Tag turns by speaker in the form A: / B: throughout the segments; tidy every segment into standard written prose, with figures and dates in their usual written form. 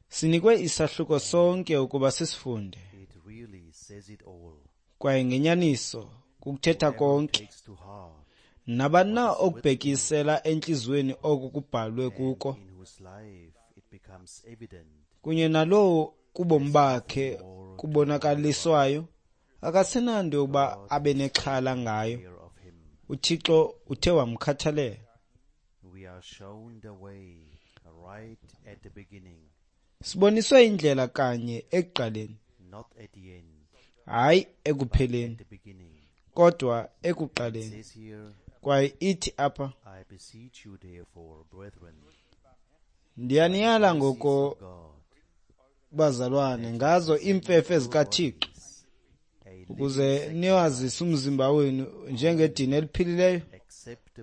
A: Sinikwe isahluko sonke ukuba sisifunde. Kwaye ngenyaniso kukuthetha konke. Nabani na okubhekisela entliziyweni oko kubhalwe kuko, kunye nalowo kubomi bakhe kubonakaliswayo, akasenanto yokuba abe nexhala ngayo. UThixo uthe wamkhathalela. Siboniswe indlela kanye ekuqaleni, hayi ekupheleni, kodwa ekuqaleni. Kwaye ithi apha, ndiyaniyala ngoko bazalwane ngazo iimfefe zikaThixo, ukuze niwazise umzimba wenu njengedini eliphilileyo,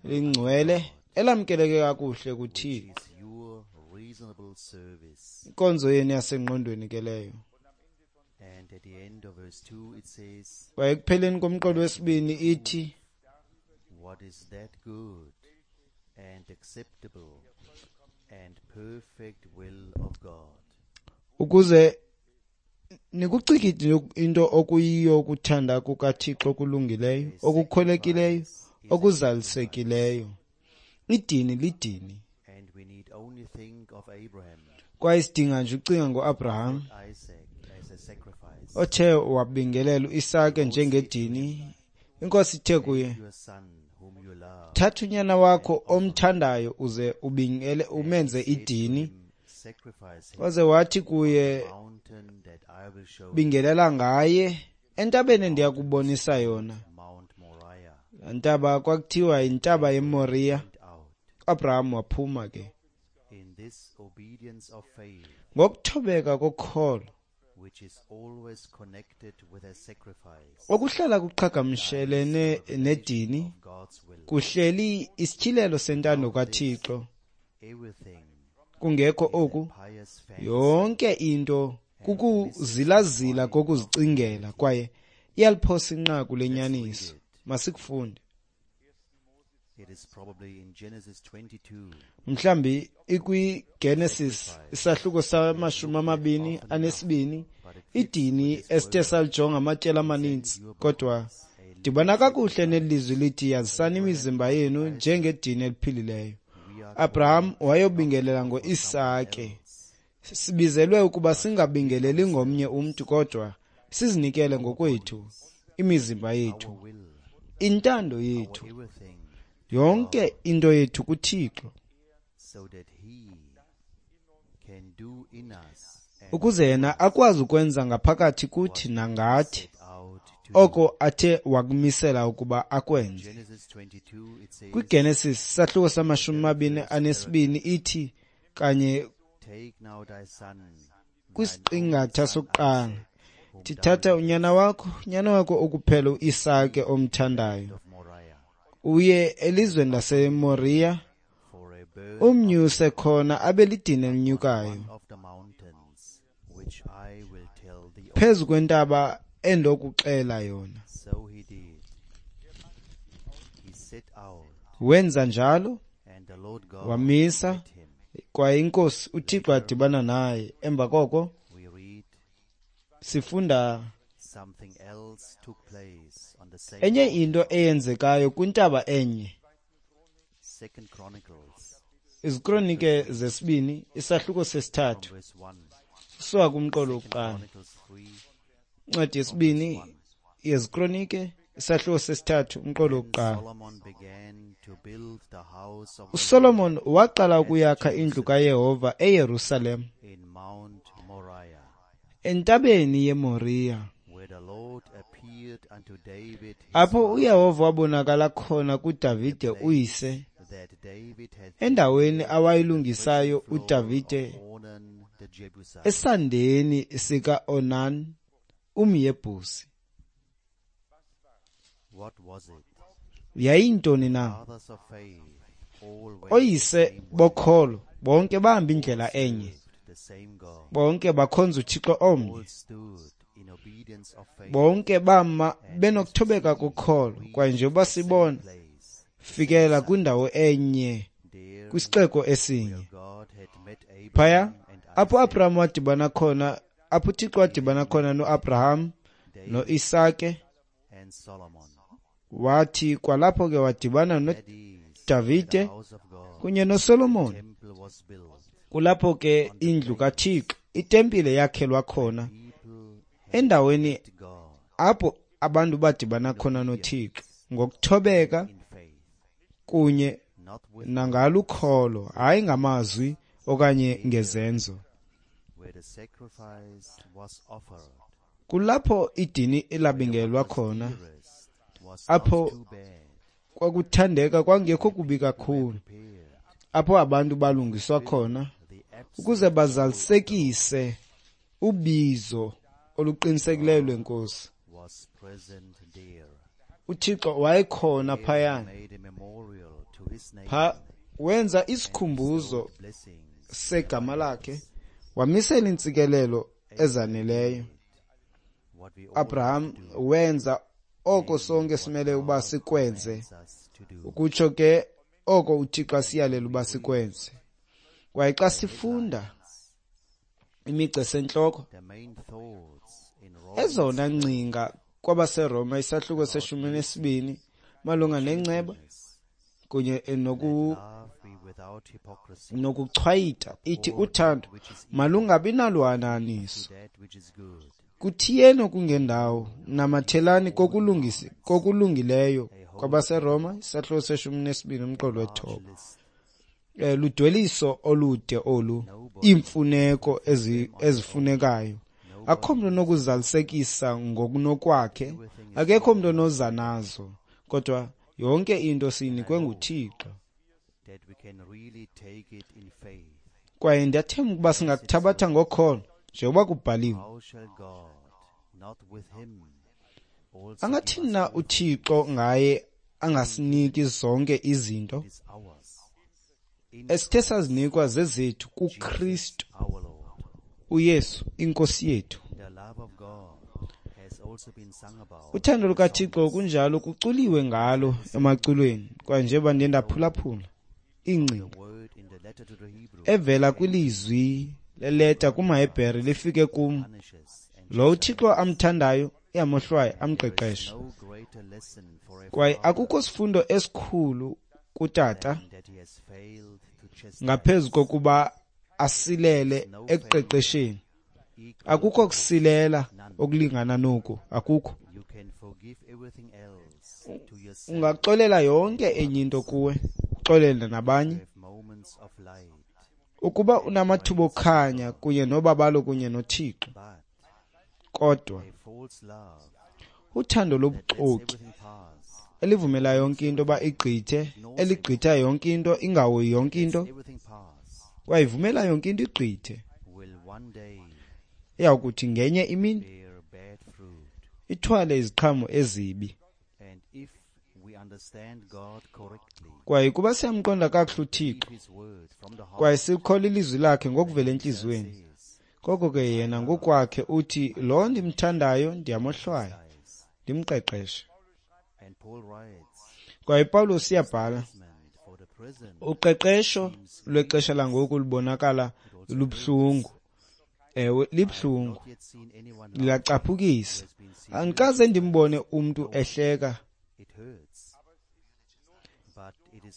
A: lingcwele, elamkeleke kakuhle kuThixo. Inkonzo yenu yasengqondweni ke leyo. Kwaye ekupheleni komqolo wesibini ithi,
B: what is that good and acceptable and perfect will of God?
A: Ukuze nikucikide into okuyiyo ukuthanda kukaThixo okulungileyo, okukholekileyo, okuzalisekileyo. Idini lidini.
B: And we need only think of Abraham,
A: Kwaye sidinga nje ucinga ngoAbraham,
B: Isaac as a sacrifice.
A: othe wabingelela uIsake njengedini. Inkosi ithe kuye,
B: Your son whom you love,
A: thatha unyana wakho omthandayo uze ubingele umenze idini.
B: sacrifice him
A: Waze wathi kuye,
B: mountain that I will show
A: bingelela ngaye entabeni endiyakubonisa yona.
B: Mount Moriah.
A: Laa ntaba kwakuthiwa yintaba yeMoriya.
B: Went out
A: uAbraham waphuma ke
B: in this obedience of faith,
A: ngokuthobeka kokholo
B: which is always connected with a sacrifice
A: okuhlala kuqhagamshelene nedini,
B: of God's will.
A: kuhleli isityhilelo sentando kaThixo.
B: Everything
A: Kungekho oku,
B: pious fancy
A: yonke into kukuzilazila kokuzicingela, kwaye iyaliphosa inqaku lenyaniso. Masikufunde.
B: It is probably in Genesis 22.
A: Mhlambi ikwiGenesis isahluko sama-22, idini esithe salijonga amatyeli amaninzi, kodwa dibana kakuhle nelizwi lithi yazisani imizimba yenu njengedini eliphilileyo. Abraham wayobingelela ngoIsake. Sibizelwe ukuba singabingeleli ngomnye umntu, kodwa sizinikele ngokwethu, imizimba yethu, intando yethu,
B: Everything
A: yonke into yethu kuThixo,
B: so that he can do in us and
A: ukuze yena akwazi ukwenza ngaphakathi kuthi nangathi
B: set out to do.
A: oko athe wakumisela ukuba akwenze.
B: Genesis 22, it says,
A: KwiGenesis sahluko sama-22 ithi kanye
B: Take now thy son,
A: kwisiqingatha sokuqala, thithatha unyana wakho, unyana wakho okuphela uIsake omthandayo,
B: of Moriah,
A: uye elizweni laseMoriya,
B: for a burnt
A: umnyuse khona abe lidini elinyukayo
B: one of the mountains, which I will tell thee of.
A: phezu kwentaba endokuxela yona.
B: So he did. He set out,
A: Wenza njalo,
B: and the Lord God
A: wamisa,
B: met him.
A: kwaye inkosi uThixo adibana naye. Emva koko
B: We read
A: sifunda
B: something else took place on the same
A: enye into eyenzekayo kwintaba enye.
B: Second Chronicles
A: Izikronike zesibini isahluko sesithathu
B: verse 1.
A: suka kumqolo wokuqala.
B: Chronicles 3
A: Incwadi yesibini yezikronike isahluko sesithathu umqolo wokuqala.
B: Solomon began to build the house of the
A: uSolomon waqala ukuyakha indlu kaYehova eYerusalem
B: in Mount Moriah,
A: entabeni yeMoriya,
B: where the Lord appeared unto David his
A: apho uYehova wabonakala khona kuDavide uyise,
B: that David had
A: endaweni awayilungisayo uDavide
B: Ornan the Jebusite.
A: esandeni sika-Onan umYebhusi.
B: What was it?
A: Yayintoni na?
B: Fathers of faith all went
A: Oyise bokholo bonke bahamba indlela enye,
B: the same God.
A: bonke bakhonza uThixo omnye,
B: All stood in obedience of faith.
A: bonke bama benokuthobeka kokholo. Kwaye njengoba sibona
B: Place
A: fikela kwindawo enye
B: there
A: kwisixeko esinye. Phaya apho Abraham wadibana khona, apho uThixo wadibana khona noAbraham noIsake, wathi kwalapho ke wadibana noDavide kunye noSolomon. Kulapho ke indlu kaThixo, itempile yakhelwa khona, endaweni apho abantu badibana khona noThixo ngokuthobeka kunye nangalukholo, hayi ngamazwi okanye ngezenzo. Kulapho idini elabingelwa khona, apho kwakuthandeka kwangekho kubi kakhulu, apho abantu balungiswa khona ukuze bazalisekise ubizo oluqinisekileyo lweNkosi. UThixo wayekhona phayana, pha wenza isikhumbuzo segama lakhe, wamisela intsikelelo ezaneleyo. Abraham wenza oko sonke simele uba sikwenze, ukutsho ke oko uThixo asiyalela uba sikwenze. Kwaye xa sifunda imigca esentloko, ezona ngcinga kwabaseRoma isahluko se-12 malunga nenceba kunye nokuchwayita, ithi uthando malungabi naluhanahaniso. Kuthiyeni okungendawo, namathelani kokulungileyo. KwabaseRoma isahluko se-12 umqolo we-9. Ludweliso olude olu, iimfuneko ezifunekayo. Akukho mntu onokuzalisekisa ngokunokwakhe, akekho mntu onoza nazo, kodwa yonke into siyinikwe nguThixo. Kwaye ndiyathemba ukuba singakuthabatha ngokholo, njengoba kubhaliwe. Angathini na uThixo ngaye angasiniki zonke izinto esithe sazinikwa zezethu kuKristu uYesu iNkosi yethu? Uthando lukaThixo kunjalo kuculiwe ngalo emaculweni, kwaye njengoba ndiye ndaphulaphula iingcinga evela kwilizwi leleta kumaHebhere lifike kum, lo uThixo amthandayo uyamohlwaya amqeqeshe. Kwaye akukho sifundo esikhulu kutata ngaphezu kokuba asilele ekuqeqesheni. Akukho kusilela okulingana noku, akukho. Ungaxolela yonke enye into kuwe, uxolele nabanye. Ukuba unamathuba okukhanya kunye nobabalo kunye noThixo, kodwa uthando lobuxoki elivumela yonke into uba igqithe, eligqitha yonke into, ingahoyi yonke into, kwayivumela yonke into igqithe, iyawukuthi ngenye imini ithwale iziqhamo ezibi. Kwaye kuba siyamqonda kakuhle uThixo, kwaye sikholwa ilizwi lakhe ngokuvela entliziyweni, koko ke yena ngokwakhe uthi, lo ndimthandayo ndiyamohlwaya, ndimqeqeshe. Kwaye Pawulos uyabhala, uqeqesho lwexesha langoku lubonakala lubuhlungu. Ewe, libuhlungu, liyacaphukisa. Andikaze ndimbone umntu ehleka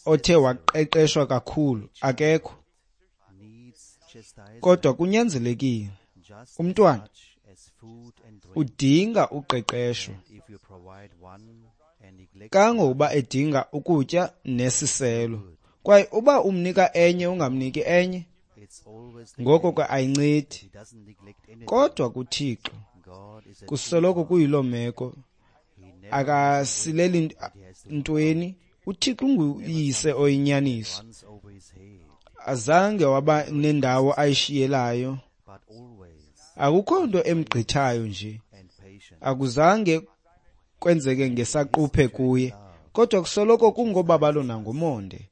A: othe waqeqeshwa kakhulu, akekho. Kodwa kunyanzelekile, umntwana udinga uqeqesho kangangokuba edinga ukutya nesiselo. Kwaye uba umnika enye ungamniki enye, ngoko ke ayincedi. Kodwa kuThixo kusoloko kuyiloo meko, akasileli ntweni. uThixo unguyise oyinyaniso, azange waba nendawo ayishiyelayo, akukho nto emgqithayo nje, akuzange kwenzeke ngesaquphe kuye, kodwa kusoloko kungobabalo nangomonde.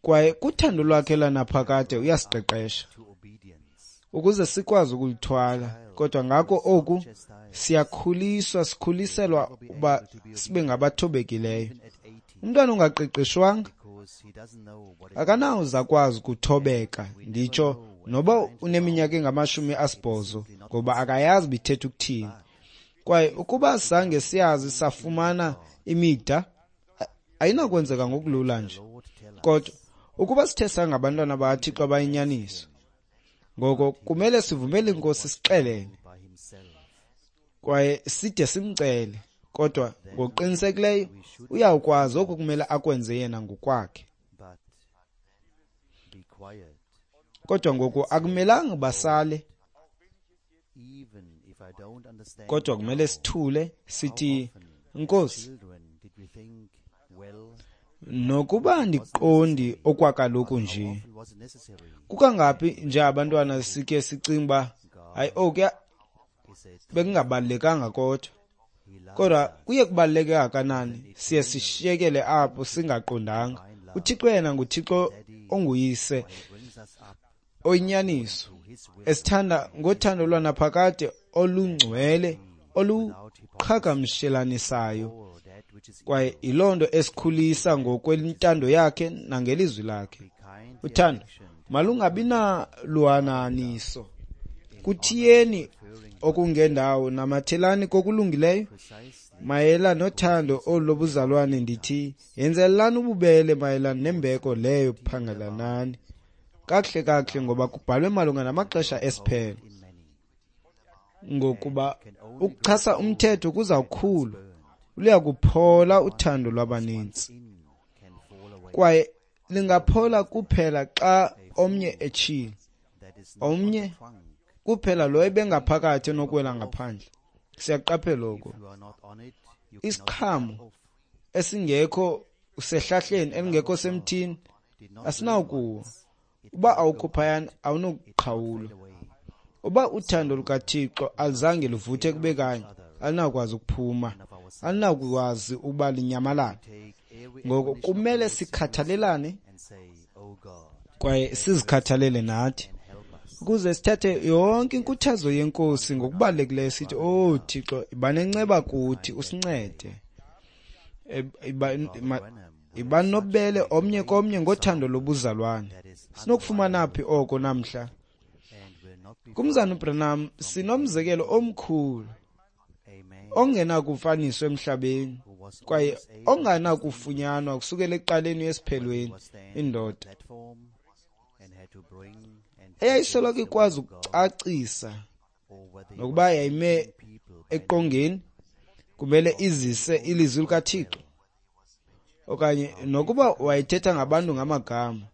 A: Kwaye kuthando lwakhe lanaphakade uyasiqeqesha ukuze sikwazi ukulithwala. Kodwa ngako oku siyakhuliswa, sikhuliselwa uba sibe ngabathobekileyo. Umntwana ongaqeqeshwanga Akanawuze akwazi ukuthobeka, nditsho noba uneminyaka engama-80, ngoba akayazi bithetha ukuthini. Kwaye ukuba zange siyazi safumana imida, ayinakwenzeka ngokulula nje. Kodwa ukuba sithe sangabantwana bakaThixo abayinyaniso, ngoko kumele sivumele iNkosi sixelele kwaye side simcele, kodwa ngokuqinisekileyo uyawukwazi oku kumele akwenze yena ngokwakhe. Kodwa ngoku akumelanga basale, kodwa kumele sithule sithi, Nkosi, nokuba ndiqondi okwakaloku nje, kukangaphi nje abantwana sikhe sicinga uba hayi okuya bekungabalulekanga, kodwa kuye kubaluleke kangakanani siye sishiyekele apho singaqondanga. UThixo yena nguThixo onguyise oyinyaniso, esithanda ngothando lwanaphakade olungcwele oluqhagamshelanisayo, kwaye yiloo nto esikhulisa ngokwentando yakhe nangelizwi lakhe. Uthando malungabi naluhananiso. Kuthiyeni okungendawo, namathelani kokulungileyo. Mayela nothando olu lobuzalwane ndithi, yenzelelani ububele mayelana nembeko leyo, phangelanani kakuhle kakuhle, ngoba kubhalwe malunga namaxesha esiphelo. Ngokuba ukuchasa umthetho kuzawukhula, luyakuphola uthando lwabaninzi, kwaye lingaphola kuphela xa omnye etshile, omnye kuphela lo ebengaphakathi onokuwela ngaphandle. Siyaqaphela oko. Isiqhamo esingekho sehlahleni, elingekho semthini, asinawukuwa. Uba awukho phayana, awunokuqhawulwa. Uba uthando lukaThixo aluzange luvuthe kube kanye, alinakwazi ukuphuma, alinakwazi ukuba linyamalale. Ngoko kumele sikhathalelane kwaye sizikhathalele nathi, ukuze sithathe yonke inkuthazo yeNkosi ngokubalulekileyo, sithi, "Oh Thixo, iba nenceba kuthi, usincede. Iba nobubele omnye komnye ngothando lobuzalwane." Sinokufumana phi oko namhla? Kumzana uBranham sinomzekelo omkhulu ongenakufaniswa emhlabeni kwaye ongenakufunyanwa kusukela ekuqaleni esiphelweni, indoda eyayisoloko ikwazi ukucacisa nokuba yayime eqongeni kumele izise ilizwi likaThixo, okanye nokuba wayethetha ngabantu ngamagama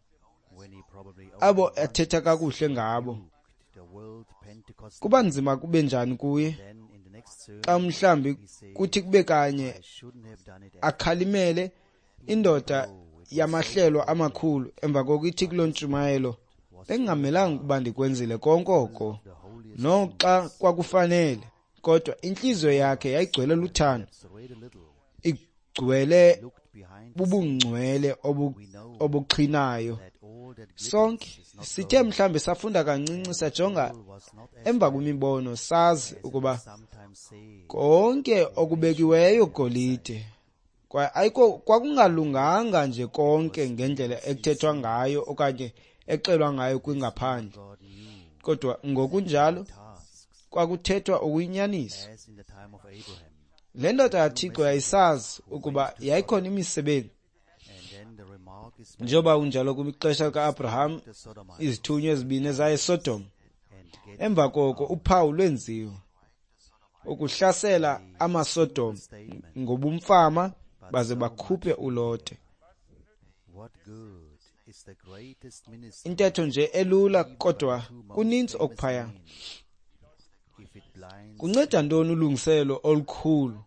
A: abo athetha kakuhle ngabo. Kuba nzima kube njani kuye xa mhlambi kuthi kube kanye akhalimele indoda yamahlelo amakhulu, emva koko ithi kuloo ntshumayelo, "Bengingamelanga ukuba ndikwenzile konke oko," noxa kwakufanele, kodwa intliziyo yakhe yayigcwele luthando, igcwele bubungcwele obuxhinayo. Sonke sithe mhlambi safunda kancinci, sajonga emva kwimibono, sazi ukuba konke okubekiweyo golide, kwaye ayikho kwakungalunganga nje konke ngendlela ekuthethwa ngayo okanye exelwa ngayo kwingaphandle, kodwa ngokunjalo kwakuthethwa okuyinyaniso. Le ndoda kaThixo yayisazi ukuba yayikhona imisebenzi, njengoba kunjalo kwixesha lika-Abraham, izithunywa ezibini ezaye eSodom. Emva koko uphawu lwenziwa ukuhlasela amaSodom ngobumfama baze bakhuphe uLote. Intetho nje elula, kodwa kuninzi okuphaya. Kunceda ntoni ulungiselelo olukhulu,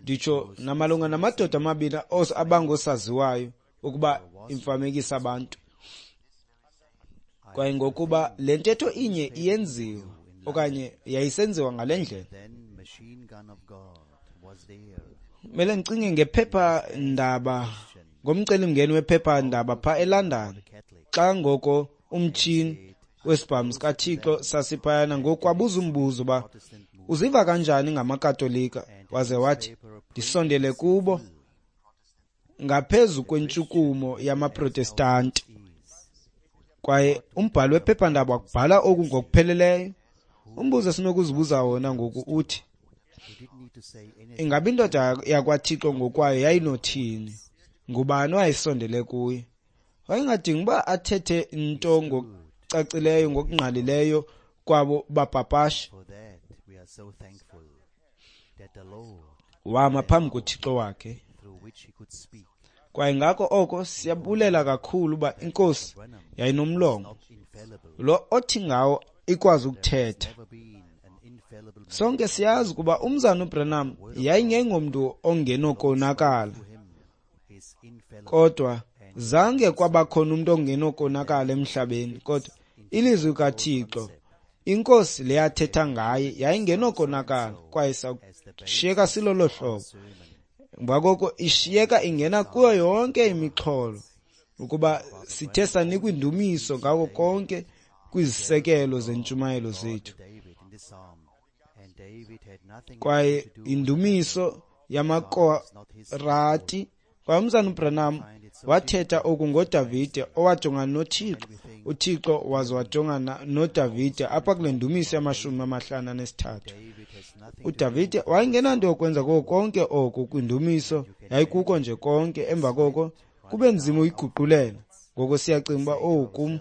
A: nditsho namalunga namadoda amabini abangosaziwayo ukuba imfamekisa abantu? Kwaye ngokuba le ntetho inye iyenziwa okanye yayisenziwa ngale ndlela, mele ndicinge ngephepha-ndaba, ngomcelimngeni wephepha-ndaba phaa eLondon, xa ngoko umtshini wesibhamu sikaThixo sasiphayana, ngoku wabuza umbuzo uba uziva kanjani ngamaKatolika, waze wathi, "Ndisondele kubo ngaphezu kwentshukumo yamaProtestanti. Kwaye umbhali wephephandaba wakubhala oku ngokupheleleyo. Umbuzo esinokuzibuza wona ngoku uthi, ingaba indoda yakwaThixo ngokwayo yayinothini? Ngubani owayesondele kuye? Wayengadingi uba athethe nto ngokucacileyo, ngokungqalileyo kwabo bapapashi. Wama phambi koThixo wakhe. Kwaye ngako oko siyabulela kakhulu uba iNkosi yayinomlomo lo othi ngawo ikwazi ukuthetha. Sonke siyazi ukuba umzana uBranham yayingengomntu ongenokonakala, kodwa zange kwabakhona umntu ongenokonakala emhlabeni. Kodwa ilizwi kaThixo, iNkosi leyathetha ngaye, yayingenokonakala, kwaye sashiyeka silolo hlobo. Ngakoko ishiyeka ingena kuyo yonke imixholo, ukuba sithe sanikwa indumiso ngako konke kwizisekelo zentshumayelo zethu. Kwaye indumiso yamaKorati. Kwaye umzana uBranham wathetha oku ngoDavide owajongana noThixo, uThixo waze wajongana noDavide apha kule ndumiso yama-53. uDavide wayengenanto yokwenza koko konke oku kwindumiso, yayikuko nje konke. Emva koko kube nzima uyiguqulela. Ngoko siyacinga uba, owu kum,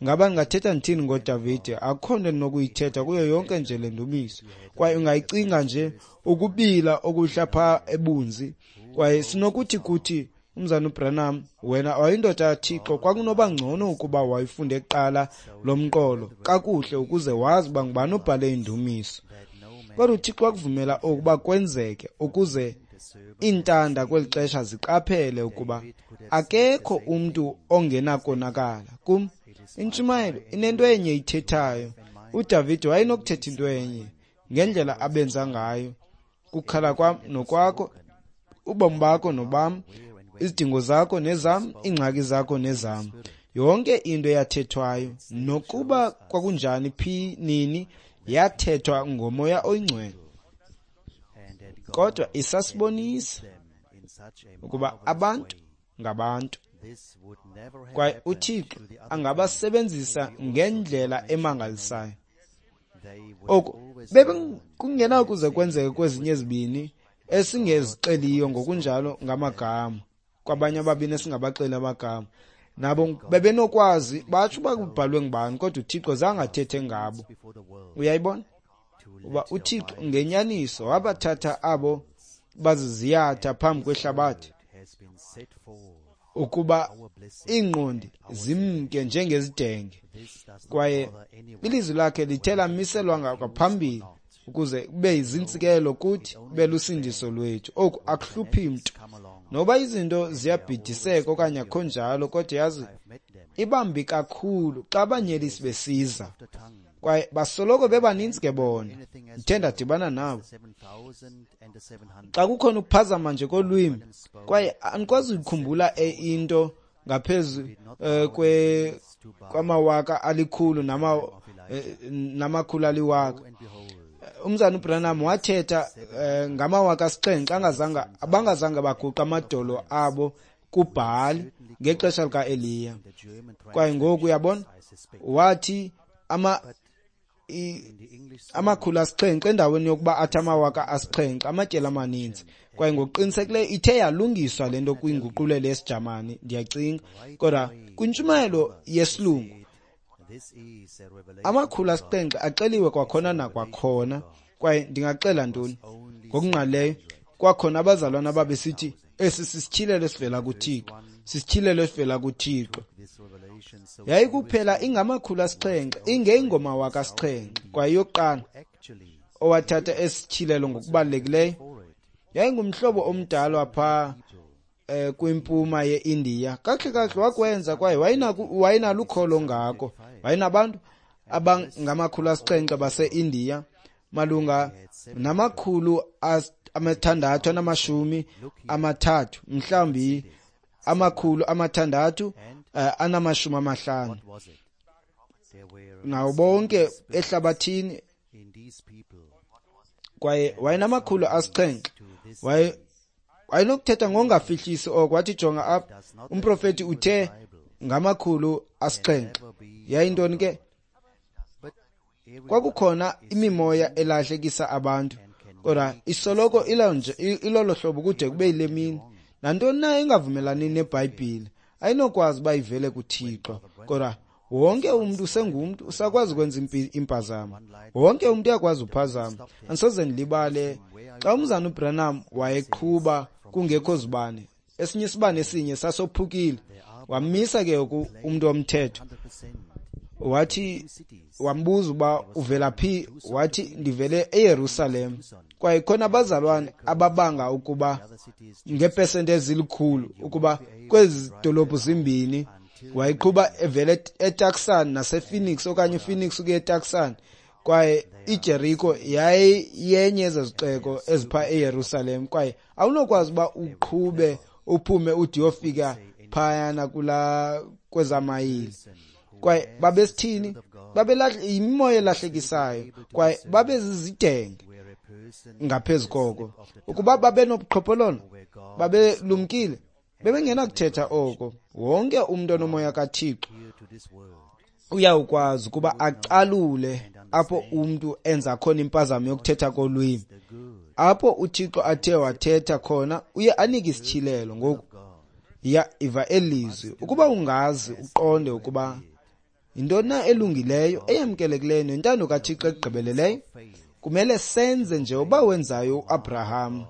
A: ngaba ndingathetha ndithini ngoDavide? Akukho nto ndinokuyithetha kuyo yonke nje le ndumiso. Kwaye ungayicinga nje ukubila okuhla phaa ebunzi. Kwaye sinokuthi kuthi umzana uBranham, wena wayindoda kaThixo, kwakunoba ngcono ukuba wayifunde kuqala lo mqolo kakuhle ukuze wazi uba ngubani obhale indumiso. Kodwa uThixo wakuvumela okuba kwenzeke ukuze iintanda kweli xesha ziqaphele ukuba akekho umntu ongenakonakala. Kum, intshumayelo inento enye ithethayo. uDavide wayenokuthetha into enye ngendlela abenza ngayo. Kukhala kwam nokwakho, ubomi bakho nobam, izidingo zakho nezam, iingxaki zakho nezam. Yonke into eyathethwayo, nokuba kwakunjani phi nini, yathethwa ngoMoya oyiNgcwele. Kodwa isasibonisa ukuba abantu ngabantu, kwaye uThixo angabasebenzisa ngendlela emangalisayo. Oku bekungenakuze kwenzeke kwezinye ezibini esingezixeliyo ngokunjalo ngamagama, kwabanye ababini esingabaxeli amagama. Nabo bebenokwazi batsho uba kubhalwe ngubani, kodwa uThixo zange athethe ngabo. Uyayibona? Uba uThixo ngenyaniso wabathatha abo baziziyatha phambi kwehlabathi ukuba iingqondi zimke njengezidenge. Kwaye ilizwi lakhe lithe lamiselwa ngaphambili ukuze kube yizintsikelelo kuthi, kube lusindiso lwethu. Oku akuhluphi mntu, noba izinto ziyabhidiseka okanye akho njalo, kodwa yazi ibambi kakhulu xa abanyelisi besiza. Kwaye basoloko bebaninzi ke bona, ndithe ndadibana nabo. Xa kukhona ukuphazama nje kolwimi, kwaye andikwazi ukuyikhumbula into ngaphezu kwamawaka 100 namakhulu 1000. Umzana uBranham wathetha ngamawaka 7 abangazange baguqa amadolo abo kuBhali ngexesha likaEliya. Kwaye ngoku uyabona, wathi 700 endaweni yokuba athi 7,000, amatyeli amaninzi. Kwaye ngokuqinisekileyo ithe yalungiswa le nto kwinguqulelo yesiJamani, ndiyacinga. Kodwa kwintshumayelo yesilungu 700 axeliwe kwakhona nakwakhona. Kwaye ndingaxela ntoni ngokungqalileyo? Kwakhona abazalwana babesithi esi sisityhilelo esivela kuThixo, sisityhilelo esivela kuThixo. Yayikuphela ingama-700, ingeyingomawaka 7. Kwaye yokuqala owathatha esityhilelo ngokubalulekileyo yayingumhlobo omdala phaa kwimpuma yeIndiya. Kakuhle kakuhle wakwenza, kwaye wayenalukholo ngako. Wayenabantu abangama-700 baseIndiya, malunga nama-630, mhlawumbi 650 nawo bonke ehlabathini. Kwaye wayenama-700, waye Wayenokuthetha ngongafihlisi oko. Wathi, jonga apha, umprofethi uthe 700. Yayintoni ke? Kwakukhona imimoya elahlekisa abantu, kodwa isoloko ilolo hlobo kude kube yile mini. Nantoni na engavumelani neBhayibhile ayinokwazi uba ivele kuThixo. Kodwa wonke umntu usengumntu, usakwazi ukwenza impazamo. Wonke umntu uyakwazi uphazama. Andisoze ndilibale xa umzana uBranham wayeqhuba kungekho zibane, esinye isibane esinye sasophukile. Wamisa ke umntu womthetho, wathi, wambuza uba uvela phi. Wathi, ndivele eYerusalem. Kwaye khona abazalwane ababanga ukuba ngepesenti ezilikhulu ukuba kwezi dolophu zimbini wayeqhuba evele eTucson nasePhoenix, okanye ePhoenix ukuya eTucson, kwaye iJericho yayiyenye yezezixeko ezipha eYerusalem. Kwaye awunokwazi uba uqhube uphume ude uyofika phayana kula kwezamayile. Kwaye babesithini? Yimimoya elahlekisayo, kwaye babezizidenge ngaphezu koko. Ukuba babenobuqhophololo, babelumkile, bebengenakuthetha oko. Wonke umntu onomoya kaThixo uyawukwazi ukuba acalule apho umntu enza khona impazamo yokuthetha kolwimi. Apho uThixo athe wathetha khona, uye anike isityhilelo. Ngoku ya iva elizwi, ukuba ungazi uqonde ukuba yintoni na elungileyo, eyamkelekileyo nentando kaThixo egqibeleleyo. Kumele senze njengoba wenzayo uAbraham,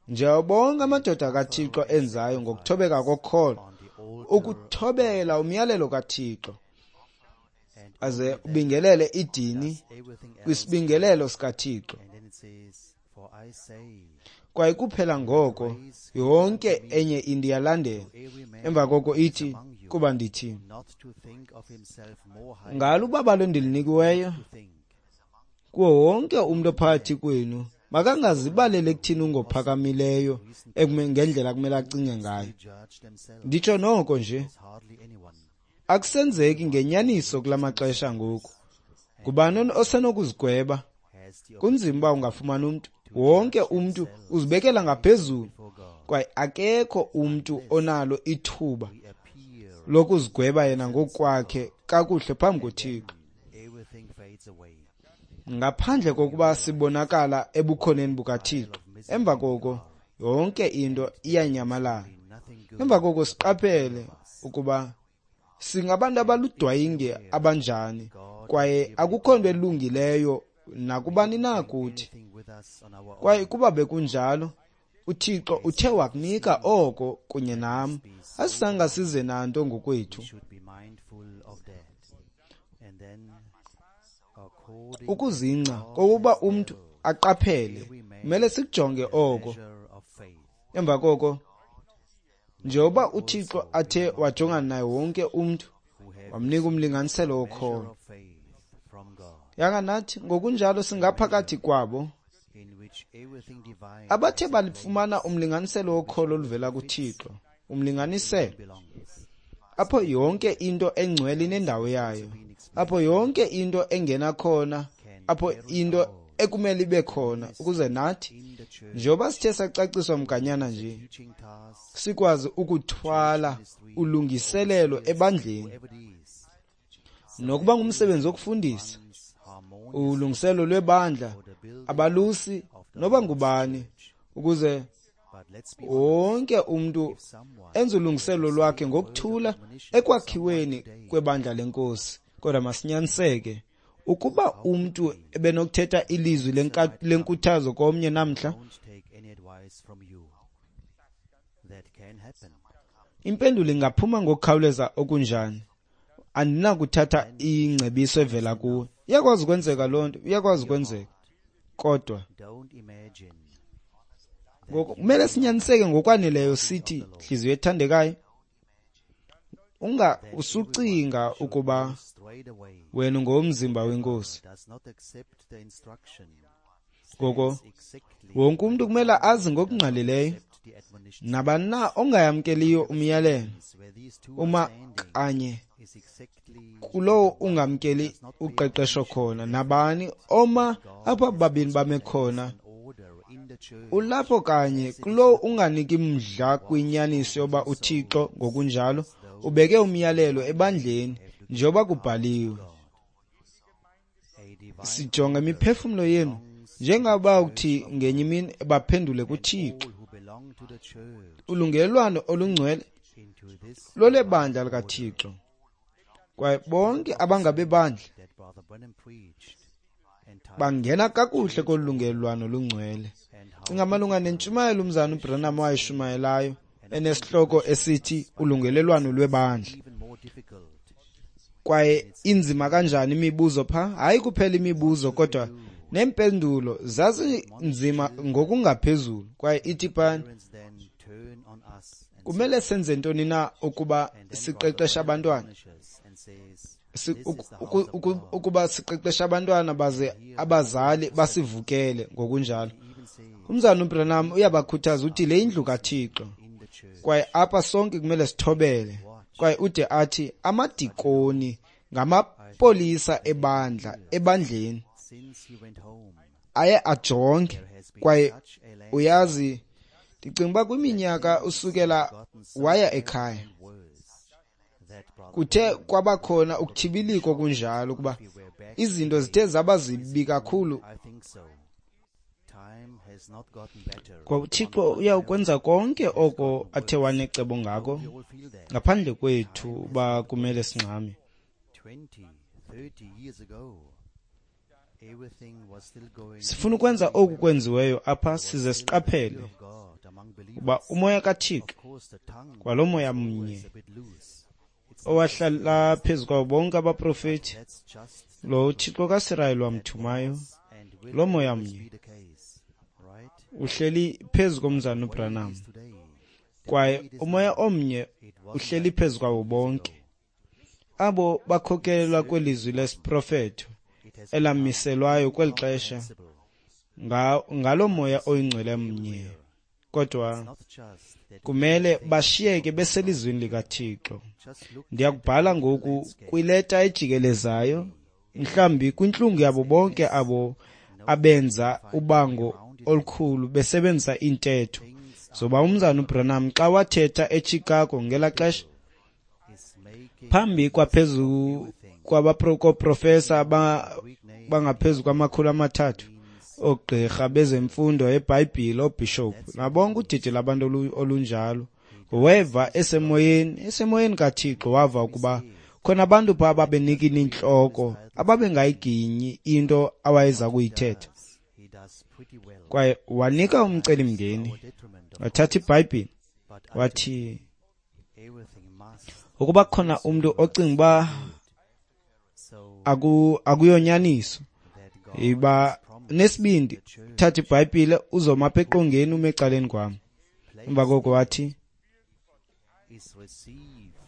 A: njengoba bonke amadoda kaThixo enzayo ngokuthobeka kokholo, ukuthobela umyalelo kaThixo, aze ubingelele idini kwisibingelelo sikaThixo. Kwaye kuphela ngoko yonke enye into iyalandela. Emva koko ithi, kuba ndithi, ngalo ubabalo endilinikiweyo kuwo wonke umntu ophakathi kwenu, makangazibalele ekuthini ungophakamileyo ngendlela kumele acinge ngayo. Nditsho noko nje, akusenzeki ngenyaniso kula maxesha ngoku. Ngubani osenokuzigweba? Kunzima uba ungafumana umntu. Wonke umntu uzibekela ngaphezulu, kwaye akekho umntu onalo ithuba lokuzigweba yena ngokwakhe kakuhle phambi koThixo, ngaphandle kokuba sibonakala ebukhoneni bukaThixo. Emva koko yonke into iyanyamalala. Emva koko siqaphele ukuba singabantu abaludwayinge abanjani, kwaye akukho nto elungileyo nakubani na kuthi. Kwaye kuba bekunjalo, uThixo uthe wakunika oko kunye nam, asizange size nanto ngokwethu. Ukuzingca kokuba umntu aqaphele, kumele sikujonge oko. Emva koko, njengoba uThixo athe wajongana naye wonke umntu, wamnika umlinganiselo wokholo. Yanga nathi ngokunjalo singaphakathi kwabo abathe balifumana umlinganiselo wokholo oluvela kuThixo, umlinganiselo apho yonke into engcwele inendawo yayo, apho yonke into engena khona, apho into ekumele ibe khona, ukuze nathi njengoba sithe sacaciswa mganyana nje, sikwazi ukuthwala ulungiselelo ebandleni, nokuba ngumsebenzi wokufundisa, ulungiselelo lwebandla, abalusi, noba ngubani, ukuze wonke umntu enze ulungiselelo lwakhe ngokuthula ekwakhiweni kwebandla lenkosi. Kodwa masinyaniseke, ukuba umntu ebenokuthetha ilizwi lenkuthazo komnye namhla, impendulo ingaphuma ngokukhawuleza okunjani? Andinakuthatha ingcebiso evela kuwe. Iyakwazi ukwenzeka loo nto, iyakwazi ukwenzeka. Kodwa ngoku kumele sinyaniseke ngokwaneleyo sithi, nhliziyo ethandekayo, unga usucinga ukuba wena ungowomzimba wenkosi. Ngoko wonke umntu kumele azi ngokungqalileyo, nabani na ongayamkeliyo umyalelo, uma kanye kulowo ungamkeli uqeqesho khona, nabani oma apha babini bame khona, Ulapho kanye kulowo unganiki mdla kwinyaniso yoba uThixo ngokunjalo ubeke umyalelo ebandleni njengoba kubhaliwe. Sijonga imiphefumlo yenu njengaba uthi ngenye imini baphendule kuThixo. Ulungelelwano olungcwele lolebandla likaThixo, kwaye bonke abangabebandla bangena kakuhle kolu lungelelwano lungcwele. Cinga malunga nentshumayelo umzana uBranham wayishumayelayo enesihloko esithi ulungelelwano lwebandla. Kwaye inzima kanjani imibuzo pha? Hayi kuphela imibuzo kodwa neempendulo zazinzima ngokungaphezulu. Kwaye ithi phana, kumele senze ntoni na ukuba siqeqeshe abantwana? Ukuba siqeqeshe abantwana baze abazali basivukele ngokunjalo. Umzana uBranham uyabakhuthaza uthi le indlu kaThixo, kwaye apha sonke kumele sithobele. Kwaye ude athi amadikoni ngamapolisa ebandla ebandleni aye ajonge. Kwaye uyazi, ndicinga uba kwiminyaka usukela waya ekhaya kuthe kwabakhona ukuthibiliko kunjalo ukuba izinto zithe zaba zibi kakhulu. Kwa uThixo uyawukwenza konke oko athe wanecebo ngako ngaphandle kwethu uba kumele singxame. Sifuna ukwenza oku kwenziweyo apha size siqaphele uba umoya kaThixo kwalo moya mnye owahlala phezu kwabo bonke abaprofeti, lo uThixo kaSirayeli wamthumayo, lo moya mnye uhleli phezu komzana uBranham, kwaye umoya omnye uhleli phezu kwabo bonke abo bakhokelelwa kwelizwi lesiprofeto elamiselwayo kweli xesha ngalo moya oyingcwele mnye. Kodwa kumele bashiyeke beselizwini likaThixo. Ndiyakubhala ngoku kwileta ejikelezayo, mhlawumbi kwintlungu yabo bonke abo abenza ubango olukhulu besebenzisa iintetho zoba umzana uBranham xa wathetha eChicago ngelaa xesha phambi kwaphezu kwabaprofesa bangaphezu kwama-300 oogqirha bezemfundo eBhayibhile, oobhishophu nabonke udidi labantu olunjalo. Weva esemoyeni kaThixo, wava ukuba khona abantu pha ababenikina intloko, ababengayiginyi into awayeza kuyithetha. Kwaye wanika umcelimngeni, wathatha iBhayibhile wathi ukuba khona umntu ocinga uba akuyonyaniso, iba nesibindi, thatha iBhayibhile uzoma apha eqongeni ume ecaleni kwam. Emva koko wathi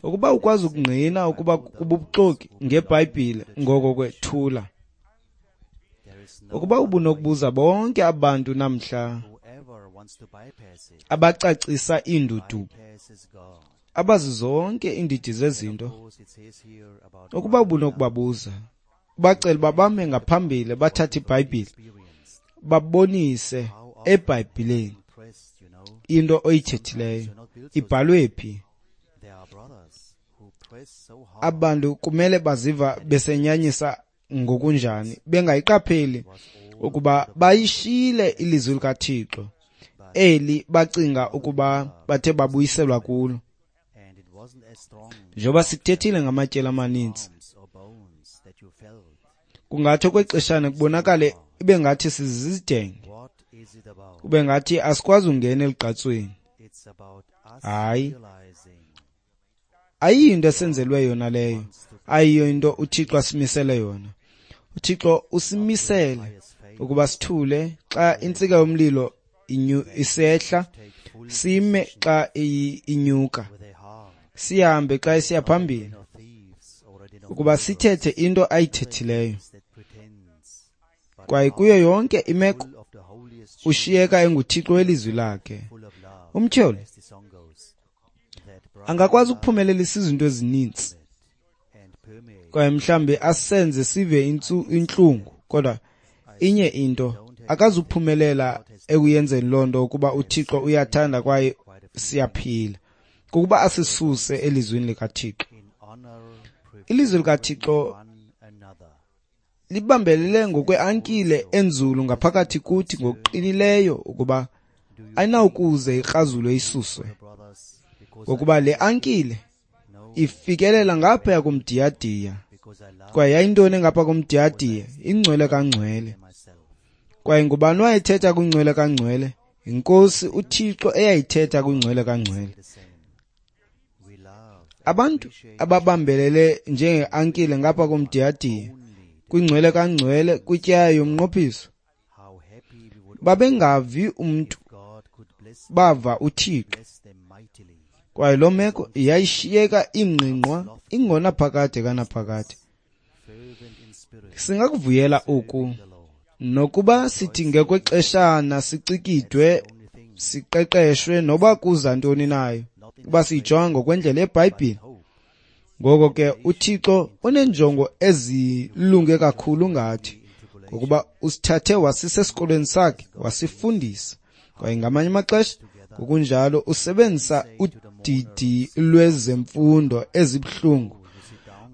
A: ukuba ukwazi ukungqina ukuba kububuxoki ngeBhayibhile, ngoko ke thula. Ukuba ubunokubuza bonke abantu namhla abacacisa iindudumo, abazi zonke iindidi zezinto, ukuba ubunokubabuza ubacele uba bame ngaphambili bathathe iBhayibhile babonise eBhayibhileni into oyithethileyo ibhalwe phi. Abantu kumele baziva besenyanyisa ngokunjani bengayiqapheli ukuba bayishiyile ilizwi likaThixo eli bacinga ukuba bathe babuyiselwa kulo. Njengoba sikuthethile ngamatyeli amaninzi, kungathi okwexeshana kubonakale ibe ngathi sizizidenge, kube ngathi asikwazi ungena elugqatsweni. Hayi, ayiyinto esenzelwe yona leyo, ayiyo into uThixo asimisele yona. uThixo usimisele ukuba sithule xa intsika yomlilo isehla, sime xa inyuka, sihambe xa isiya phambili, ukuba sithethe into ayithethileyo. Kwaye kuyo yonke imeko ushiyeka enguThixo welizwi lakhe. Umtyholi angakwazi ukuphumelelisa izinto ezininzi kwaye mhlambi asenze sive intlungu, kodwa inye into Akazuphumelela ekuyenzeni loo nto ukuba uThixo uyathanda kwaye siyaphila, kukuba asisuse elizwini likaThixo. Ilizwi likaThixo libambelele ngokweankile enzulu ngaphakathi kuthi ngokuqinileyo ukuba ayinawukuze ikrazulwe isuswe, ngokuba le ankile ifikelela ngaphaya komdiyadiya. Kwaye yayintoni ngapha komdiyadiya? Ingcwele kangcwele. Kwaye ngubani wayethetha kwingcwele kangcwele? INkosi uThixo eyayithetha kwingcwele kangcwele. Abantu ababambelele njengeankile ngapha komdiyadiya kwingcwele kangcwele kwityeya yomnqophiso babengavi umntu, bava uThixo. Kwaye loo meko yayishiyeka ingqingqwa ingonaphakade kanaphakade. Singakuvuyela oku, nokuba sithi ngekwexeshana sicikidwe, siqeqeshwe, noba kuza ntoni nayo, uba siyijonga ngokwendlela yeBhayibhile. Ngoko ke uThixo uneenjongo ezilunge kakhulu ngathi, ngokuba usithathe wasisa esikolweni sakhe, wasifundisa. Kwaye ngamanye amaxesha ngokunjalo usebenzisa udidi lwezemfundo ezibuhlungu,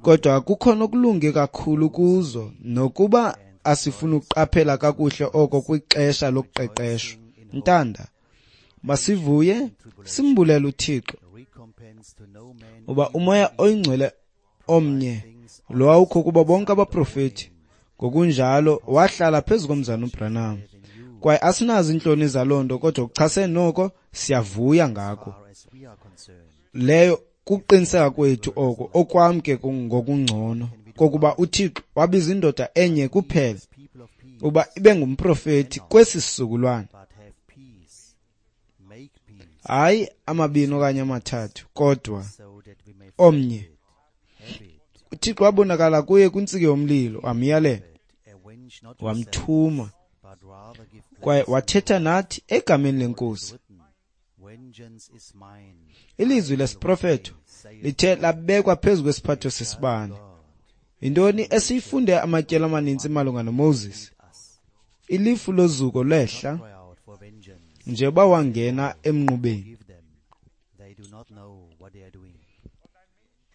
A: kodwa kukho nokulunge kakhulu kuzo, nokuba asifuni ukuqaphela kakuhle oko kwixesha lokuqeqeshwa. Ntanda, masivuye simbulele uThixo uba uMoya oyiNgcwele omnye lo wawukho kubo bonke abaprofeti ngokunjalo wahlala phezu komzana uBranham. Kwaye asinazo iintloni zaloo nto, kodwa ukuchasene noko siyavuya ngako. Leyo kuqiniseka kwethu oko, okwam ke ngokungcono, kokuba uThixo wabiza indoda enye kuphela uba ibe ngumprofeti kwesi sizukulwana, hayi amabini okanye amathathu, kodwa omnye. uThixo wabonakala kuye kwintsiki yomlilo, wamyalela, wamthuma, kwaye wathetha nathi egameni leNkosi. Ilizwi lesiprofeto lithe labekwa phezu kwesiphatho sesibane. Yintoni esiyifunde amatyeli amaninzi malunga noMoses? Ilifu lozuko lehla njengoba wangena emnqubeni.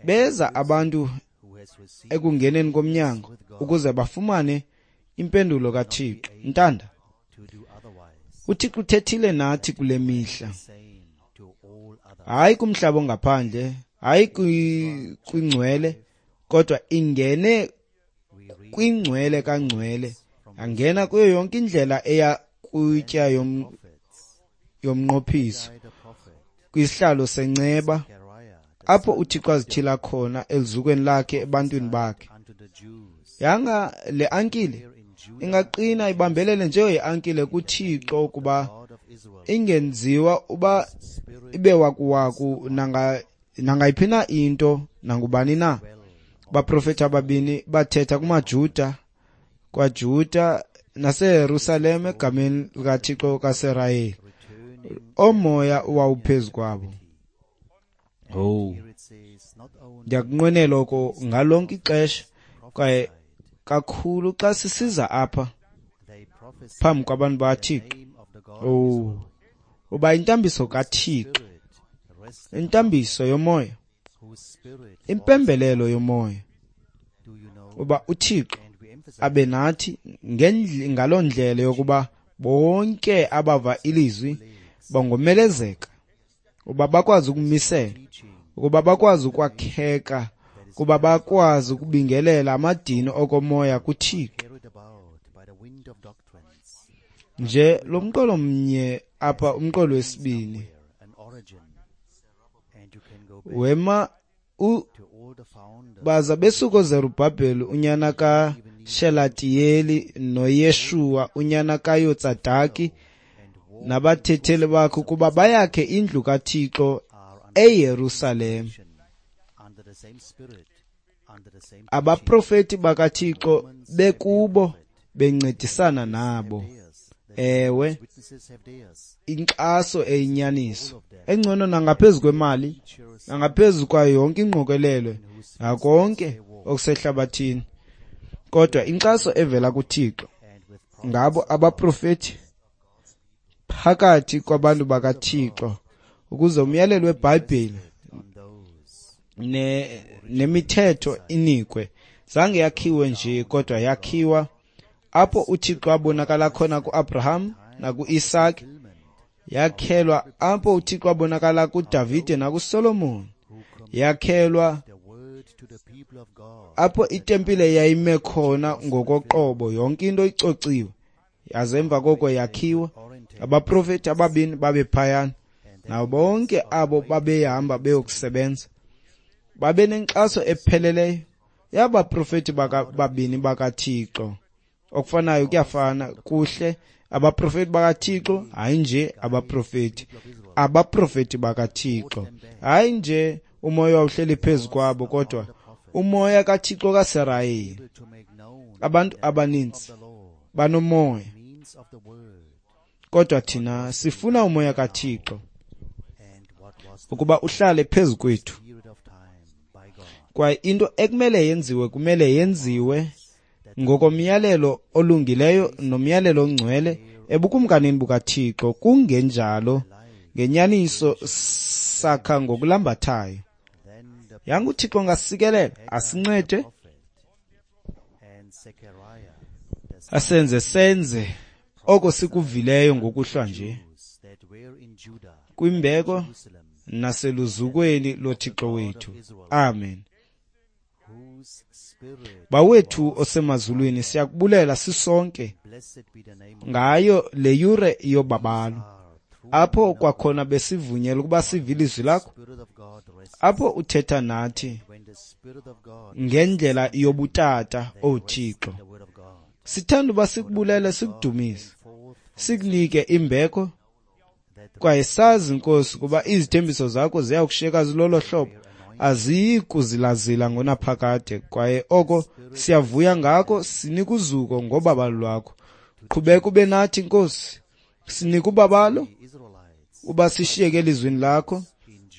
A: Beza abantu ekungeneni komnyango ukuze bafumane impendulo kaThixo. Ntanda, uThixo uthethile nathi kule mihla, hayi kumhlaba ongaphandle, hayi kwingcwele, kodwa ingene kwingcwele kangcwele, angena kuyo yonke indlela eya kwitya yomnqophiso, kwisihlalo senceba, apho uThixo azithila khona elizukweni lakhe ebantwini bakhe. Yanga le ankile ingaqina ibambelele njengeankile kuThixo, ukuba ingenziwa uba ibe wakuwaku nangayiphi na into nangubani na. Baprofeti ababini bathetha kumaJuda, kwaJuda naseYerusalem egameni likaThixo kaSirayeli. Omoya wawuphezu kwabo. Oh, ndiyakunqwenela oko ngalonke ixesha, kwaye kakhulu xa sisiza apha phambi kwabantu bakaThixo. Oh, uba intambiso kaThixo, intambiso yomoya, impembelelo yomoya, uba uThixo abe nathi ngaloo ndlela yokuba bonke abava ilizwi bangomelezeka, uba bakwazi ukumisela, ukuba bakwazi ukwakheka, kuba bakwazi ukubingelela amadini okomoya kuThixo. Nje lo mqolo mnye apha, umqolo wesibini, wema baza besuka oZerubhabheli unyana kaShelatiyeli noYeshuwa unyana kaYotsadaki nabathetheli bakhe ukuba bayakhe indlu kaThixo eYerusalem. Abaprofeti bakaThixo bekubo bencedisana nabo. Ewe, inkxaso eyinyaniso engcono nangaphezu kwemali, nangaphezu kwayo yonke ingqokelelo, nakonke okusehlabathini, kodwa inkxaso evela kuThixo ngabo abaprofeti phakathi kwabantu bakaThixo ukuze umyalelo weBhayibhile nemithetho inikwe. Zange yakhiwe nje, kodwa yakhiwa apho uThixo abonakala khona kuAbraham nakuIsaac, yakhelwa apho uThixo abonakala kuDavide nakuSolomon, yakhelwa apho itempile yayime khona ngokoqobo, yonke into icociwe. Yaze emva koko yakhiwa. Abaprofeti ababini babephayana, nabo bonke abo babehamba beyokusebenza babe nenkxaso epheleleyo yabaprofeti babini bakaThixo. Okufanayo kuyafana kuhle, abaprofeti bakaThixo, hayi nje abaprofeti, abaprofeti bakaThixo, hayi nje umoya wawuhleli phezu kwabo, kodwa umoya kaThixo kaSirayeli. Abantu abaninzi banomoya, kodwa thina sifuna umoya kaThixo ukuba uhlale phezu kwethu. Kwaye into ekumele yenziwe, kumele yenziwe ngokomyalelo olungileyo nomyalelo ongcwele ebukumkanini bukaThixo. Kungenjalo, ngenyaniso sakha ngokulambathayo. Yanga uThixo ngasikelela, asincede, asenze senze oko sikuvileyo ngokuhlwa nje, kwimbeko naseluzukweni loThixo wethu. Amen. Bawethu osemazulwini, siyakubulela sisonke ngayo le yure yobabalo, apho kwakhona besivunyelwa ukuba sive ilizwi lakho, apho uthetha nathi ngendlela yobutata, O Thixo. Sithanda uba sikubulele, sikudumise, sikunike imbeko, kwaye sazi, Nkosi, kuba izithembiso zakho ziya kushiyeka zilolo hlobo, aziyi kuzilazila ngonaphakade. Kwaye oko siyavuya ngako, sinika uzuko ngobabalo lwakho. Qhubeka ube nathi, Nkosi, sinika ubabalo uba sishiyeke elizwini lakho,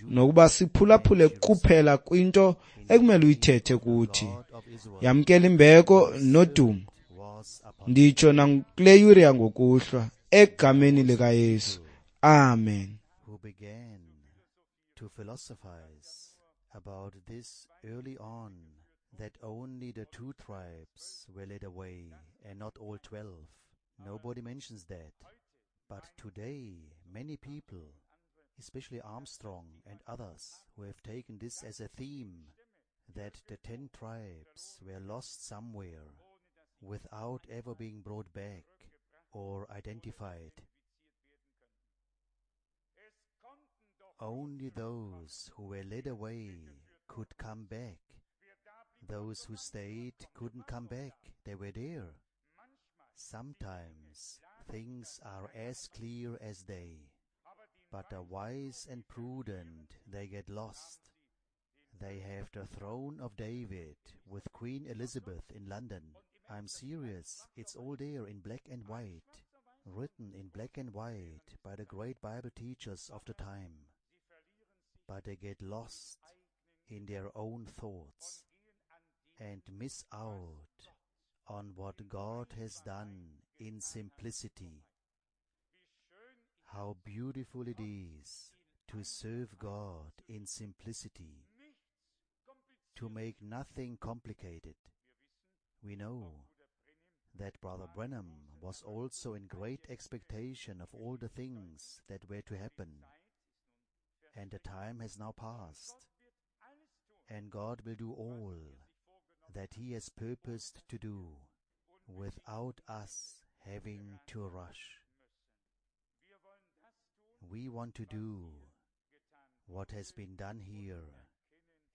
A: nokuba siphulaphule kuphela kwinto ekumele uyithethe kuthi. Yamkela imbeko nodumo, nditsho nakule yure yangokuhlwa, egameni likaYesu. Amen.
B: Who began to philosophize about this early on, that only the 2 tribes were led away and not all 12. Nobody mentions that. But today, many people, especially Armstrong and others who have taken this as a theme, that the 10 tribes were lost somewhere without ever being brought back or identified. Only those who were led away could come back. Those who stayed couldn't come back. They were there. Sometimes things are as clear as day, but the wise and prudent, they get lost. They have the throne of David with Queen Elizabeth in London. I'm serious. It's all there in black and white, written in black and white by the great Bible teachers of the time. But they get lost in their own thoughts and miss out on what God has done in simplicity. How beautiful it is to serve God in simplicity, to make nothing complicated. We know that Brother Branham was also in great expectation of all the things that were to happen, and the time has now passed, and God will do all that He has purposed to do without us having to rush. We want to do what has been done here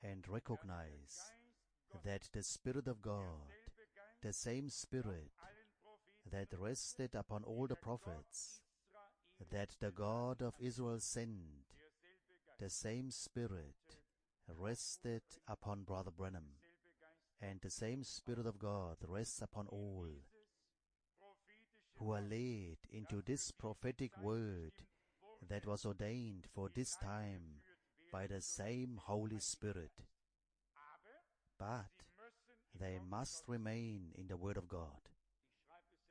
B: and recognize that the Spirit of God, the same Spirit that rested upon all the prophets, that the God of Israel sent, the same Spirit rested upon Brother Branham, and the same Spirit of God rests upon all who are led into this prophetic word that was ordained for this time by the same Holy Spirit. But they must remain in the Word of God.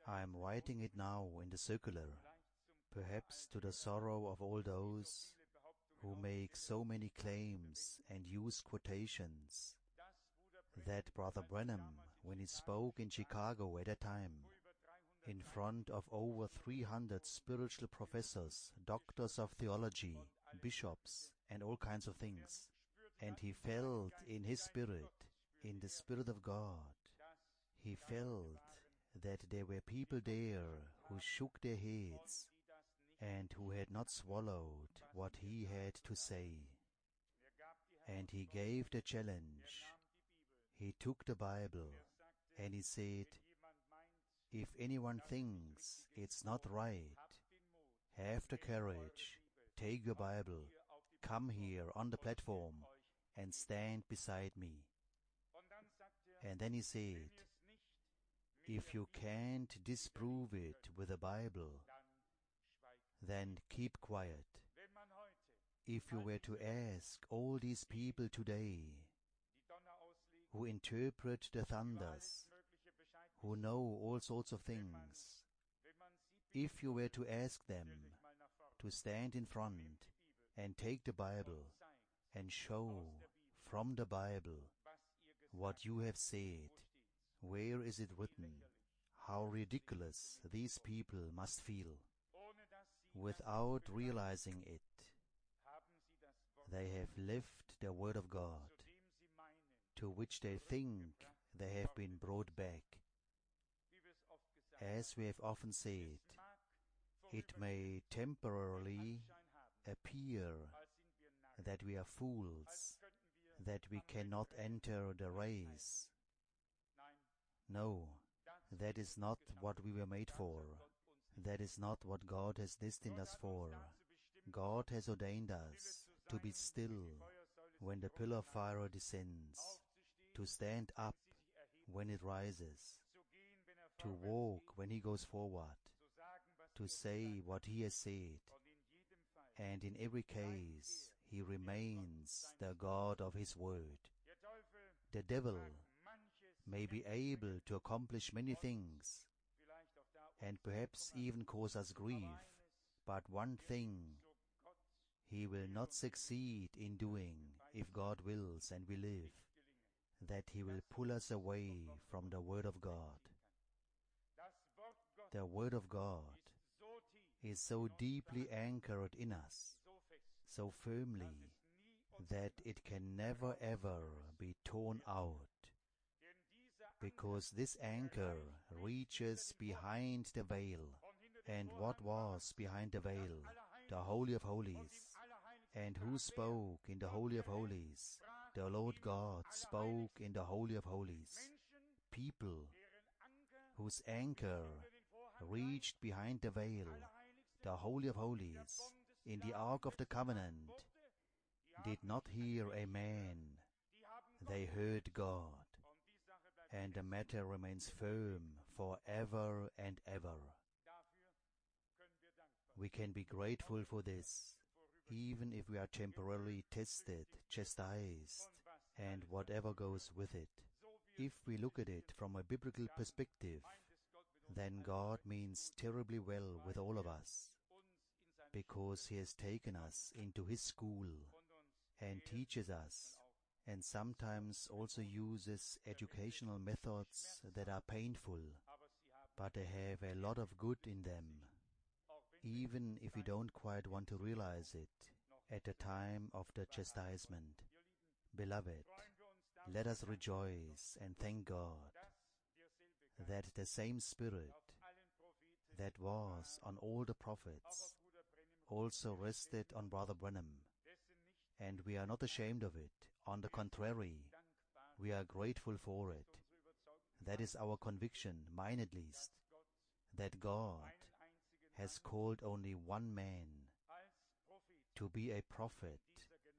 B: I am writing it now in the circular, perhaps to the sorrow of all those who make so many claims and use quotations, that Brother Branham, when he spoke in Chicago at that time, in front of over 300 spiritual professors, doctors of theology, bishops, and all kinds of things, and he felt in his spirit, in the Spirit of God, he felt that there were people there who shook their heads and who had not swallowed what he had to say. And he gave the challenge. He took the Bible and he said, if anyone thinks it's not right, have the courage, take your Bible, come here on the platform and stand beside me. And then he said, if you can't disprove it with the Bible, then keep quiet. If you were to ask all these people today who interpret the thunders, who know all sorts of things, if you were to ask them to stand in front and take the Bible and show from the Bible what you have said, where is it written? How ridiculous these people must feel. Without realizing it, they have left the Word of God, to which they think they have been brought back. As we have often said, it may temporarily appear that we are fools, that we cannot enter the race. No, that is not what we were made for. That is not what God has destined us for. God has ordained us to be still when the pillar of fire descends, to stand up when it rises, to walk when he goes forward, to say what he has said, and in every case he remains the God of his word. The devil may be able to accomplish many things, and perhaps even cause us grief, but one thing he will not succeed in doing, if God wills and we live, that he will pull us away from the Word of God. The Word of God is so deeply anchored in us, so firmly, that it can never ever be torn out, because this anchor reaches behind the veil. And what was behind the veil? The Holy of Holies. And who spoke in the Holy of Holies? The Lord God spoke in the Holy of Holies. People whose anchor reached behind the veil, the Holy of Holies, in the Ark of the Covenant, did not hear a man. They heard God. And the matter remains firm forever and ever. We can be grateful for this, even if we are temporarily tested, chastised, and whatever goes with it. If we look at it from a biblical perspective, then God means terribly well with all of us, because He has taken us into His school and teaches us, and sometimes also uses educational methods that are painful, but they have a lot of good in them, even if we don't quite want to realize it at the time of the chastisement. Beloved, let us rejoice and thank God that the same Spirit that was on all the prophets also rested on Brother Branham, and we are not ashamed of it. On the contrary, we are grateful for it. That is our conviction, mine at least, that God has called only one man to be a prophet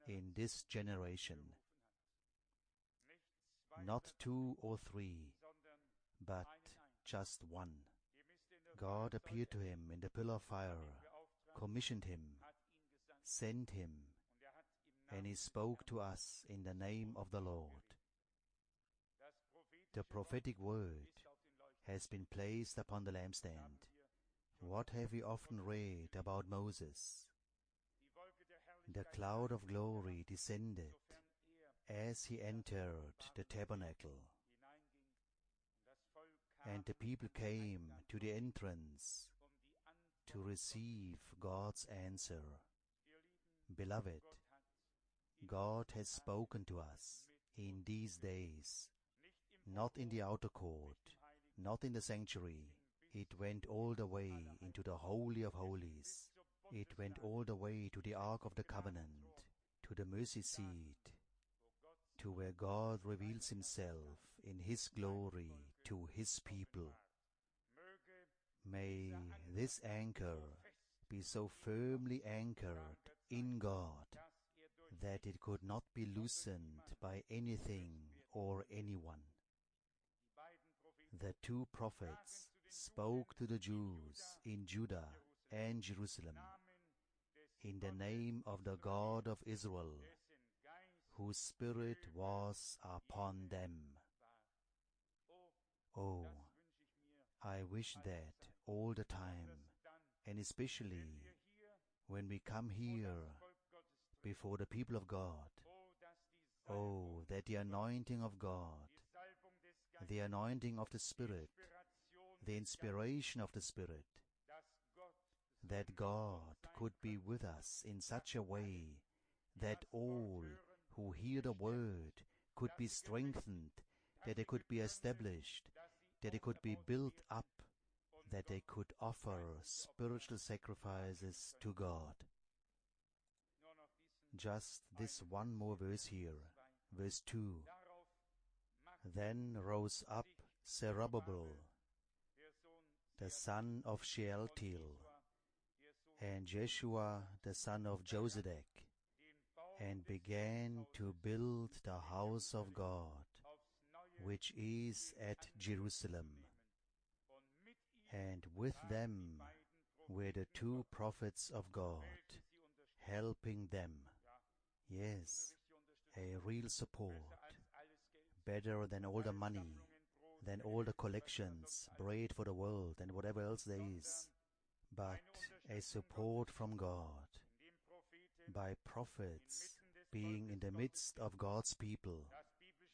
B: in this generation. Not two or three, but just one. God appeared to him in the pillar of fire, commissioned him, sent him, and he spoke to us in the name of the Lord. The prophetic word has been placed upon the lampstand. What have we often read about Moses? The cloud of glory descended as he entered the tabernacle, and the people came to the entrance to receive God's answer. Beloved, God has spoken to us in these days, not in the outer court, not in the sanctuary. It went all the way into the Holy of Holies. It went all the way to the Ark of the Covenant, to the mercy seat, to where God reveals himself in his glory to his people. May this anchor be so firmly anchored in God that it could not be loosened by anything or anyone. The two prophets spoke to the Jews in Judah and Jerusalem in the name of the God of Israel, whose spirit was upon them. Oh, I wish that all the time, and especially when we come here before the people of God. Oh, that the anointing of God, the anointing of the Spirit, the inspiration of the Spirit, that God could be with us in such a way that all who hear the word could be strengthened, that they could be established, that they could be built up, that they could offer spiritual sacrifices to God. Just this one more verse here, verse 2. Then rose up Zerubbabel, the son of Shealtiel, and Jeshua, the son of Josedech, and began to build the house of God, which is at Jerusalem. And with them were the two prophets of God, helping them. Yes, a real support, better than all the money, than all the collections, bread for the world, and whatever else there is, but a support from God, by prophets being in the midst of God's people,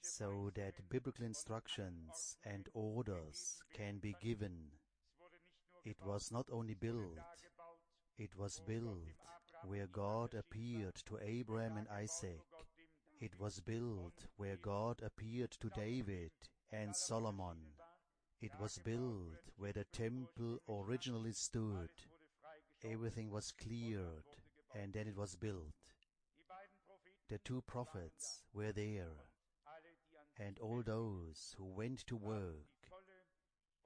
B: so that biblical instructions and orders can be given. It was not only built, it was built where God appeared to Abraham and Isaac. It was built where God appeared to David and Solomon. It was built where the temple originally stood. Everything was cleared, and then it was built. The two prophets were there, and all those who went to work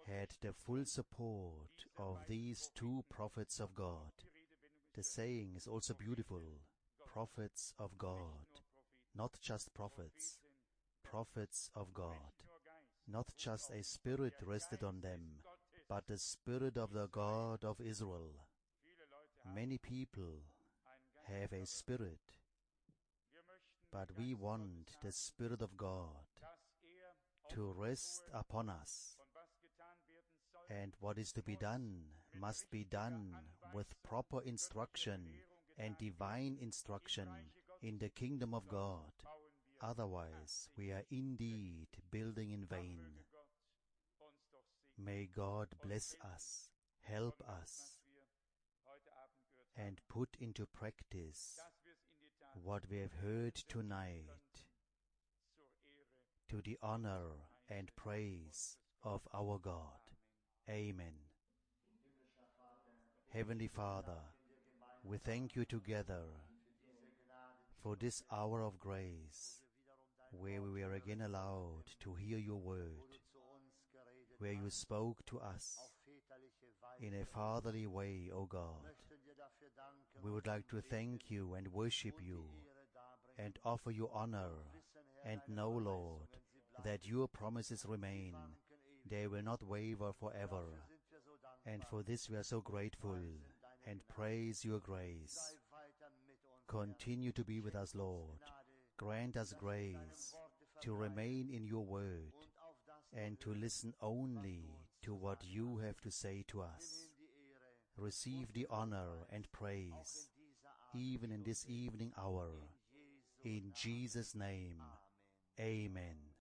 B: had the full support of these two prophets of God. The saying is also beautiful, prophets of God, not just prophets, prophets of God. Not just a spirit rested on them, but the spirit of the God of Israel. Many people have a spirit, but we want the Spirit of God to rest upon us. And what is to be done must be done with proper instruction and divine instruction in the kingdom of God. Otherwise, we are indeed building in vain. May God bless us, help us, and put into practice what we have heard tonight, to the honor and praise of our God. Amen. Heavenly Father, we thank you together for this hour of grace, where we were again allowed to hear your word, where you spoke to us in a fatherly way, O God. We would like to thank you and worship you and offer you honor, and know, Lord, that your promises remain. They will not waver forever. And for this we are so grateful and praise your grace. Continue to be with us, Lord. Grant us grace to remain in your word and to listen only to what you have to say to us. Receive the honor and praise, even in this evening hour. In Jesus' name, amen.